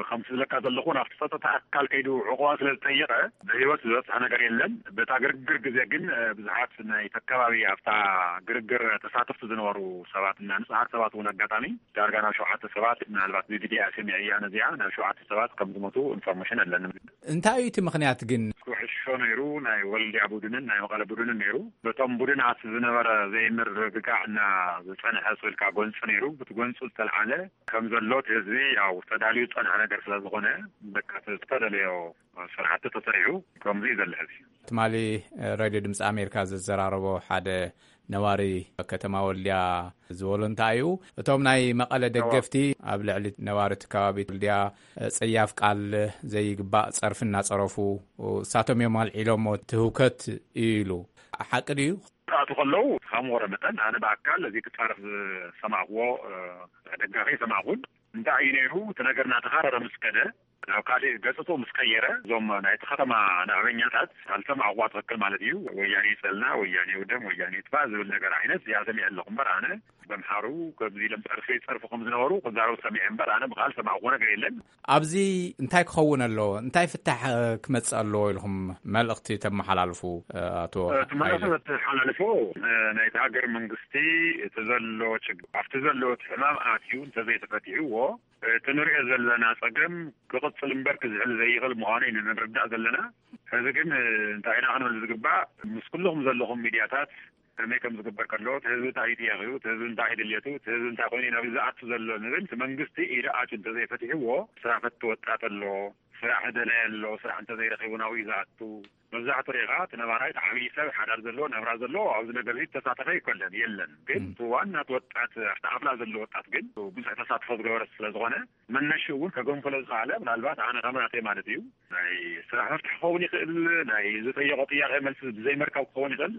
ከም ዝብለካ ዘለኹ ናብቲ ፀጥታ ኣካል ከይዱ ዕቑባ ስለ ዝጠየቐ ብህይወት ዝበፅሐ ነገር የለን። በታ ግርግር ግዜ ግን ብዙሓት ናይ ተከባቢ ኣብታ ግርግር ተሳተፍቲ ዝነበሩ ሰባት እና ንፁሃት ሰባት እውን ኣጋጣሚ ዳርጋ ናብ ሸውዓተ ሰባት ምናልባት ብቪድያ ሰሚዐያ ነዚኣ ናብ ሸውዓተ ሰባት ከም ዝሞቱ ኢንፎርሜሽን ኣለኒ። እንታይ እዩ እቲ ምኽንያት ግን? ኩዕሾ ነይሩ ናይ ወልድያ ቡድንን ናይ መቐለ ቡድንን ነይሩ። በቶም ቡድናት ዝነበረ ዘይምርግጋዕ እና ዝፀንሐ ስልካ ጎንፂ ነይሩ ብቲ ጎንፂ ዝተልዓለ ከም ዘሎ እቲ ህዝቢ ያው ተዳልዩ ዝፀንሐ ነገር ስለ ዝኾነ በቃ ዝተደለዮ ስራሕቲ ተሰሪሑ ከምዚ እዩ ዘሎ ሕዚ። ትማሊ ሬድዮ ድምፂ ኣሜሪካ ዘዘራረቦ ሓደ ነዋሪ ከተማ ወልድያ ዝበሎ እንታይ እዩ እቶም ናይ መቐለ ደገፍቲ ኣብ ልዕሊ ነዋሪ እቲ ከባቢ ወልድያ ፀያፍ ቃል ዘይግባእ ፀርፊ እናፀረፉ እሳቶም እዮም ኣልዒሎሞ ትህውከት እዩ ኢሉ ሓቂ ድዩ? ኣቱ ከለዉ ከም ወረ መጠን ኣነ ብኣካል እዚ ክፃረፍ ዝሰማዕዎ ደጋፊ ሰማዕኩን እንታይ እዩ ነይሩ እቲ ነገር እናተኻረረ ምስ ከደ ናብ ካልእ ገፅቶ ምስ ቀየረ እዞም ናይቲ ከተማ ናዕበኛታት ካልሰማዕዋ ትኽክል ማለት እዩ። ወያኔ ይፀልና ወያኔ ውደም ወያኔ ይጥፋእ ዝብል ነገር ዓይነት እዚኣ ሰሚዐ ኣለኹ እምበር ኣነ በምሓሩ ከምዚ ኢሎም ፀርፊ ይፀርፉ ከም ዝነበሩ ክዛረቡ ሰሚዐ እምበር ኣነ ብካል ሰማዕዎ ነገር የለን። ኣብዚ እንታይ ክኸውን ኣለዎ እንታይ ፍታሕ ክመፅእ ኣለዎ ኢልኩም መልእኽቲ ተመሓላልፉ? ኣቶ እቲ መልእኽቲ ሓይለ ተመሓላልፎ ናይቲ ሃገር መንግስቲ እቲ ዘሎ ችግር ኣብቲ ዘሎ እቲ ሕማም ኣትዩ እንተዘይተፈቲሕዎ እቲ ንሪኦ ዘለና ፀገም ክቕፅል እምበር ክዝሕል ዘይኽእል ምዃኑ ኢና ንርዳእ ዘለና። ሕዚ ግን እንታይ ኢና ክንብል ዝግባእ ምስ ኩልኹም ዘለኹም ሚድያታት ከመይ ከም ዝግበር ከሎ እቲ ህዝቢ እንታይ እዩ ጥያቄኡ እቲ ህዝቢ እንታይ እዩ ድልየቱ እቲ ህዝቢ እንታይ ኮይኑ ናብ ዝኣቱ ዘሎ ንብል እቲ መንግስቲ ኢደ ኣትዩ እንተዘይፈቲሕዎ ስራሕ ፈቲ ወጣት ኣሎ ስራሕ ደላይ ኣሎ ስራሕ እንተዘይረኺቡ ናብኡ እዩ ዝኣቱ። መብዛሕትኡ ርኢኻ እቲ ነባራይ እቲ ዓብዪ ሰብ ሓዳር ዘለዎ ናብራ ዘለዎ ኣብዚ ነገር እዚ ተሳተፈ ይኮለን የለን ግን እቲ ዋና እቲ ወጣት ኣብቲ ዓፍላ ዘሎ ወጣት ግን ብዙሕ ተሳትፎ ዝገበረ ስለ ዝኾነ መነሽኡ እውን ከገንፍሎ ዝኸኣለ ምናልባት ኣነ ከም ናተይ ማለት እዩ ናይ ስራሕ መፍትሒ ክኸውን ይኽእል ናይ ዝጠየቆ ጥያቄ መልሲ ብዘይምርካብ ክኸውን ይኽእል።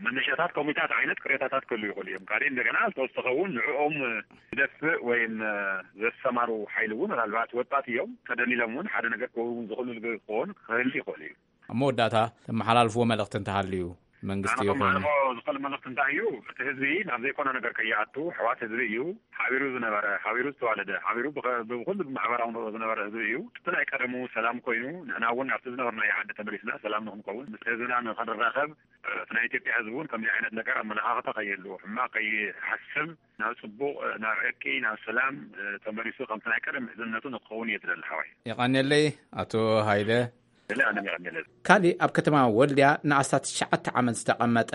መነሻታት ኮሚታት ዓይነት ቅሬታታት ክህሉ ይኽእሉ እዮም ካልእ እንደገና ዝተወሰኸ እውን ንዕኦም ዝደፍእ ወይም ዘሰማሩ ሓይሊ እውን ምናልባት ወጣት እዮም ተደሊሎም እውን ሓደ ነገር ክህቡ ዝኽእሉ ክኸውን ክህሉ ይኽእሉ እዩ። ኣብ መወዳእታ ተመሓላልፍዎ መልእኽቲ እንተሃልዩ መንግስቲ ኣነ ይኹን ከመሓላልፎ ዝኽእል መልእኽቲ እንታይ እዩ እቲ ህዝቢ ናብ ዘይኮነ ነገር ከይኣቱ ኣሕዋት ህዝቢ እዩ ሓቢሩ ዝነበረ ሓቢሩ ዝተዋለደ ሓቢሩ ብኸ- ብኩሉ ብማሕበራዊ ኑሮ ዝነበረ ህዝቢ እዩ እቲ ናይ ቀደሙ ሰላም ኮይኑ ንሕና እውን ኣብቲ ዝነበርናዮ ዓዲ ተመሊስና ሰላም ንክንከውን ምስ ህዝብና ንክንራኸብ እቲ ናይ ኢትዮጵያ ህዝቢ እውን ከምዚ ዓይነት ነገር ኣመለኻኽታ ከይህልዎ ሕማቕ ከይሓስብ ናብ ፅቡቕ ናብ ዕርቂ ናብ ሰላም ተመሊሱ ከምቲ ናይ ቀደም ምሕዝነቱ ንክኸውን እየ ዝደሊ ሓወይ። የቐንየለይ ኣቶ ሃይለ። ስለ ኣነ የቐንየለይ። ካሊእ ኣብ ከተማ ወልድያ ንኣስታት ትሽዓተ ዓመት ዝተቐመጠ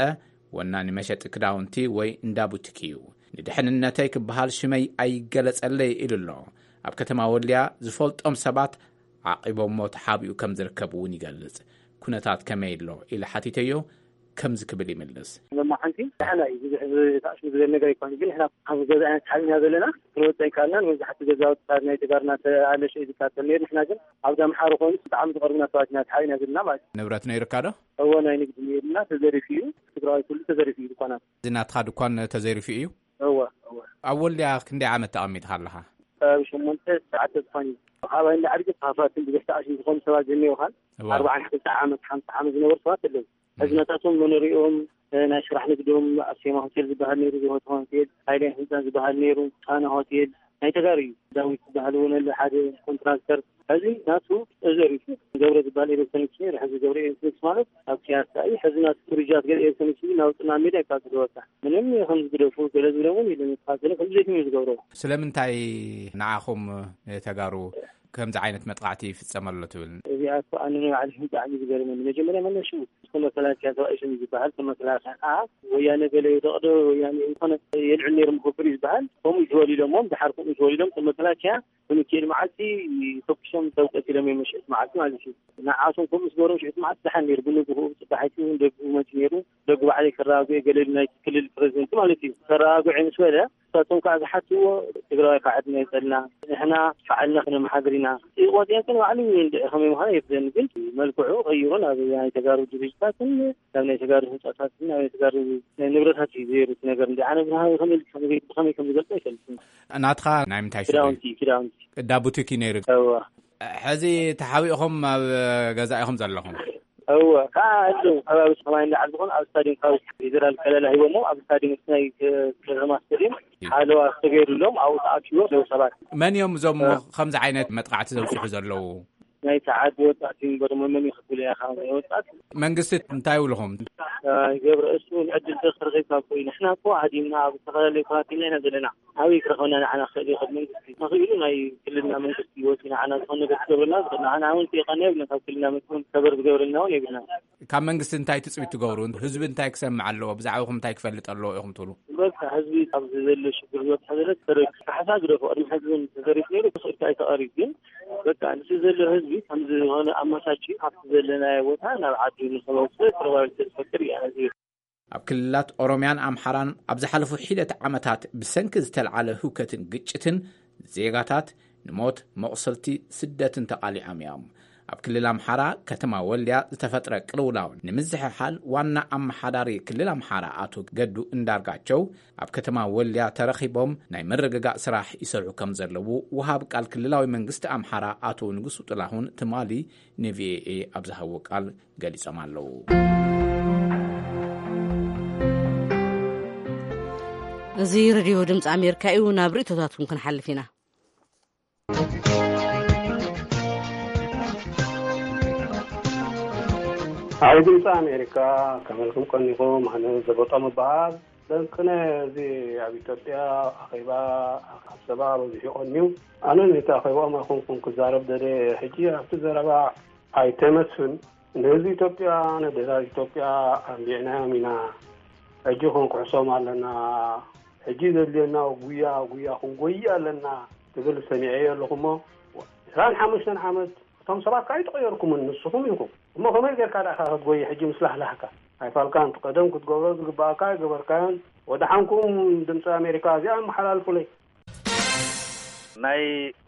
ወናኒ መሸጢ ክዳውንቲ ወይ እንዳ ቡቲክ እዩ። ንድሕንነተይ ክበሃል ሽመይ ኣይገለጸለይ ኢሉ ኣሎ። ኣብ ከተማ ወልድያ ዝፈልጦም ሰባት ዓቒቦሞ ተሓቢኡ ከም ዝርከብ እውን ይገልጽ። ኩነታት ከመይ ኣሎ ኢለ ሓቲተዮ። ከምዚ ክብል ይምልስ። ሎማዓንቲ ንሕና እዩ ብዙሕ ተኣሽሙ ዝበል ነገር ኣይኮነ፣ ግን ንሕና ኣብ ገዛ ዓይነት ሓቢና ዘለና ክንወፅእ ኣይከኣልናን። መብዛሕትኡ ገዛውቲ ካብ ናይ ተጋርና ተኣለሸ እዩ ዝቃፀል ነይሩ። ንሕና ግን ኣብዛ ምሓሩ ኮይኑ ብጣዕሚ ዝቐርቡና ሰባት ኢና ተሓቢና ዘለና ማለት እዩ። ንብረት ነይርካ ዶ? እዎ፣ ናይ ንግዲ ነይርና፣ ተዘሪፉ እዩ። ትግራዋይ ኩሉ ተዘሪፉ እዩ። ድኳናት እዚ ናትኻ ድኳን ተዘሪፉ እዩ? እወ፣ እወ። ኣብ ወልድያ ክንደይ ዓመት ተቐሚጥካ ኣለኻ? ከባቢ ሸሞንተ ትሽዓተ ዝኾን እዩ። ካባይ እንዳ ዓድጊ ተኻፋትን ብዘሕተኣሽም ዝኾኑ ሰባት ዝህልውኻን እወ። ኣርባዓን ሓምሳ ዓመት ሓምሳ ዓመት ዝነበሩ ሰባት ኣለዉ። ሕዚ ናታቶም መኖሪኦም ናይ ስራሕ ንግዶም ኣርሴማ ሆቴል ዝበሃል ነይሩ፣ ዝሆተ ሆቴል፣ ሃይለ ህንፃ ዝበሃል ነይሩ፣ ጣና ሆቴል ናይ ተጋሩ እዩ። ዳዊት ዝበሃል እውን ኣሎ ሓደ ኮንትራክተር። ሕዚ ናቱ ተዘሪፉ። ገብረ ዝበሃል ኤሌክትሮኒክስ ነይሩ። ሕዚ ገብረ ኤሌክትሮኒክስ ማለት ኣብ ፒያሳ እዩ። ሕዚ ናቱ ፍሪጃት ገለ ኤሌክትሮኒክስ እዩ፣ ናብ ጥና ሜዳ ይቃፅሉ። በቃ ምንም ከም ዝግደፉ ገለ ዝብለ እውን የለን። ይቃፅሉ ከም ድሌቶም እዩ ዝገብሮ። ስለምንታይ ንዓኹም ንተጋሩ ከምዚ ዓይነት መጥቃዕቲ ይፍጸም ኣሎ ትብል? እዚኣ እኮ ኣነ ንባዕለይ ብጣዕሚ ዝገርመኒ። መጀመርያ መለሹ እስከ መከላከያ ተባኢሱ እዩ ዝበሃል። ከም መከላከያ ከዓ ወያነ ገለ ይደቕዶ፣ ወያነ ዝኾነ የልዕል ነይሩ መኸብር እዩ ዝበሃል። ከምኡ እዩ ተወሊዶሞም፣ ድሓር ከምኡ ተወሊዶም ከም መከላከያ ብምክኤል መዓልቲ ተኩሶም ሰብ ቀቲሎም እዮም፣ ምሽት መዓልቲ ማለት እዩ። ንዓቶም ከምኡ ዝገበሮም ሽዕቲ መዓልቲ ደሓን ነይሩ። ብንግህኡ ጽባሒቱ እውን ደጉ መፂ ነይሩ። ደጉ ባዕለይ ከረጋግኦ ገለ ኢሉ ናይቲ ክልል ፕሬዚደንት ማለት እዩ። ከረጋግኦ ምስ በለ ንሳቶም ከዓ ዝሓትዎ ትግራዋይ ከዓ ዕድመ ይፀልና፣ ንሕና ባዕልና ክነመሓድር ኢና። ቆፅየን ግን ባዕሉ እንድዒ ከመይ ምዃኑ የብለኒ፣ ግን መልክዑ ቀይሩ ናብ ናይ ተጋሩ ድርጅታትን ናብ ናይ ተጋሩ ህንፃታትን ናብ ናይ ተጋሩ ንብረታት እዩ ዘይሩ እቲ ነገር። እንዲ ኣነ ብናሃዊ ከመይ ብኸመይ ከም ዝገልፆ ኣይፈልጥን። ናትኻ ናይ ምንታይ ሱቕ እዩ? ክዳውንቲ፣ ክዳውንቲ። እንዳ ቡቲክ እዩ ነይሩ። እዋ። ሕዚ ተሓቢእኹም ኣብ ገዛ ኢኹም ዘለኹም? እወ፣ ከዓ ኣለዉ ከባቢ ሰማይ እንዳዓል ዝኾኑ ኣብ ስታዲየም፣ ካብ ፌደራል ከለላ ሂቦሞ ኣብ ስታዲየም፣ ናይ ከተማ ስታዲየም ሓለዋ ዝተገይሩሎም ኣብኡ ተኣኪቦም ኣለዉ ሰባት። መን እዮም እዞም እ። ከምዚ ዓይነት መጥቃዕቲ ዘብፅሑ ዘለዉ? ናይ ሰዓት ወጣት እዩ እምበር መን እዩ ክትብል እያ፣ ካብ ናይ ወጣት። መንግስቲ እንታይ ይብልኹም? ኣይ፣ ገብረ፣ እሱ ዕድል ተኽርኺብካ እኮ እዩ። ንሕና እኮ ሃዲምና ኣብ ዝተፈላለዩ ከባቢ ኢና ዘለና። ኣበይ ክረኽበና ንዓና ክእል ይኽእል መንግስቲ? ተኽኢሉ ናይ ክልልና መንግስቲ ወፂ ንዓና ዝኾነ ነገር ክገብረልና ዝኽእል። ንዓና እውን ቴቃና የብልና፣ ካብ ክልልና መፅኡ ከበር ዝገብረልና እውን የብልና። ካብ መንግስቲ እንታይ ትፅቢት ትገብሩ? ህዝቢ እንታይ ክሰምዕ ኣለዎ? ብዛዕባኹም እንታይ ክፈልጥ ኣለዎ ኢኹም ትብሉ? በቃ ህዝቢ ኣብዚ ዘሎ ሽግር ዝበፅሐ ዘሎ ተረዲኡ፣ ካሕሳ ግደፎ፣ ቅድሚ ሕዚ እውን ተዘሪቡ ነይሩ፣ ክኽእልካ ኣይተቐሪብ። ግን በቃ ንሱ ዘሎ ህዝቢ ከምዚ ዝኾነ ኣመቻችዩ ካብቲ ዘለናዮ ቦታ ናብ ዓዱ ንኸመፅእ ተረባቢት ተዝፈጥር እያ ነዚሩ። ኣብ ክልላት ኦሮምያን ኣምሓራን ኣብ ዝሓለፉ ሒደት ዓመታት ብሰንኪ ዝተልዓለ ህውከትን ግጭትን ዜጋታት ንሞት፣ መቑሰልቲ፣ ስደትን ተቓሊዖም እዮም። ኣብ ክልል ኣምሓራ ከተማ ወልድያ ዝተፈጥረ ቅልውላው ንምዝሕሓል ዋና ኣመሓዳሪ ክልል ኣምሓራ ኣቶ ገዱ እንዳርጋቸው ኣብ ከተማ ወልድያ ተረኺቦም ናይ ምርግጋእ ስራሕ ይሰርሑ ከም ዘለዉ ወሃብ ቃል ክልላዊ መንግስቲ ኣምሓራ ኣቶ ንጉሱ ጥላሁን ትማሊ ንቪኦኤ ኣብ ዝሃብዎ ቃል ገሊጾም ኣለዉ። እዚ ሬድዮ ድምፂ ኣሜሪካ እዩ። ናብ ርእይቶታትኩም ክንሓልፍ ኢና። ኣብ ድምፂ ኣሜሪካ ከመልኩም ቀኒኹም፣ ኣነ ዘበጦም እበሃል። ደንቅነ እዚ ኣብ ኢትዮጵያ ኣኼባ ኣብ ሰባ በዚሑ ቀንዩ። ኣነ ነቲ ኣኼባኦም ኣይኮንኩን ክዛረብ ደልየ። ሕጂ ኣብቲ ዘረባ ኣይተ መስፍን፣ ንህዝቢ ኢትዮጵያ፣ ነደላት ኢትዮጵያ ኣንቢዕናዮም ኢና። ሕጂ ክንኩሕሶም ኣለና። ሕጂ ዘድልየና ጉያ፣ ጉያ ክንጎይ ኣለና ትብል ሰሚዐዮ ኣለኹ እሞ፣ ዕስራን ሓሙሽተን ዓመት እቶም ሰባት ከኣ ኣይተቐየርኩምን፣ ንስኹም ኢኹም። እሞ ከመይ ጌርካ ደኣ ክትጎይ ሕጂ ምስ ላህላህካ? ኣይፋልካን፣ እቲ ቀደም ክትገብሮ ዝግብኣካ ኣይገበርካዮን። ወደሓንኩም ድምፂ ኣሜሪካ፣ እዚኣ ኣመሓላልፉለይ። ናይ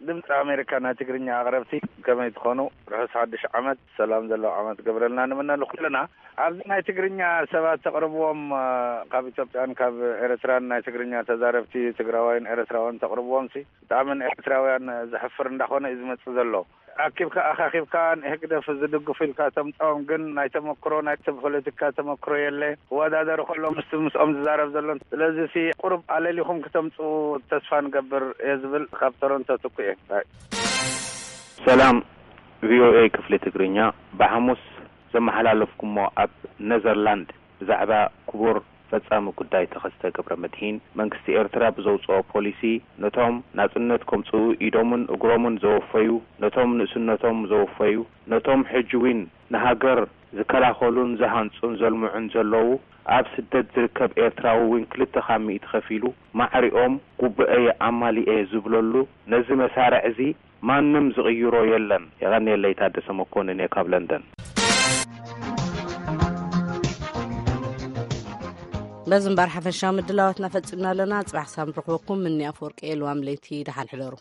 ድምፂ ኣሜሪካ ናይ ትግርኛ ኣቕረብቲ ከመይ ትኾኑ? ርሑስ ሓድሽ ዓመት፣ ሰላም ዘለዎ ዓመት ገብረልና ንምነ ንኩልና። ኣብዚ ናይ ትግርኛ ሰባት ተቕርብዎም፣ እ፣ ካብ ኢትዮጵያን ካብ ኤርትራን ናይ ትግርኛ ተዛረብቲ ትግራዋይን ኤርትራውያን ተቕርብዎም ሲ ብጣዕሚ ንኤርትራውያን ዘሕፍር እንዳኾነ እዩ ዝመጽእ ዘሎ። ኣኪብካ ኣኻኺብካ ንህግደፍ ዝድግፉ ኢልካ ተምጽኦም፣ ግን ናይ ተመክሮ፣ ናይ ሰብ ፖለቲካ ተመክሮ የለ። ክወዳደሩ ከሎ ምስቲ ምስኦም ዝዛረብ ዘሎ። ስለዚ ሲ ቁሩብ ኣለሊኹም ክተምጽኡ ተስፋ ንገብር እየ ዝብል። ካብ ቶሮንቶ ትኩ እየ። ባይ። ሰላም ቪኦኤ ክፍሊ ትግርኛ፣ ብሓሙስ ዘመሓላለፍኩሞ ኣብ ነዘርላንድ ብዛዕባ ክቡር ፈጻሚ ጉዳይ ተኸስተ ገብረመድሂን፣ መንግስቲ ኤርትራ ብዘውጽኦ ፖሊሲ፣ ነቶም ናጽነት ከምጽኡ ኢዶምን እግሮምን ዘወፈዩ፣ ነቶም ንእስነቶም ዘወፈዩ፣ ነቶም ሕጂ ውን ንሃገር ዝከላኸሉን ዝሃንጹን ዘልምዑን ዘለዉ፣ ኣብ ስደት ዝርከብ ኤርትራዊ ውን ክልተ ካብ ሚእቲ ከፊሉ፣ ማዕሪኦም ጉቡኤየ ኣማሊኤ ዝብለሉ፣ ነዚ መሳርዕ እዚ ማንም ዝቕይሮ የለን። የቐንየለይ፣ ታደሰ መኮንን እየ ካብ ለንደን። እዚ እምበር ሓፈሻዊ ምድላዋትና ፈጺምና ኣለና። ጽባሕ ክሳብ ንረኽበኩም፣ ምኒ ኣፈወርቂ፣ ልዋም ለይቲ፣ ደሓን ሕደሩ።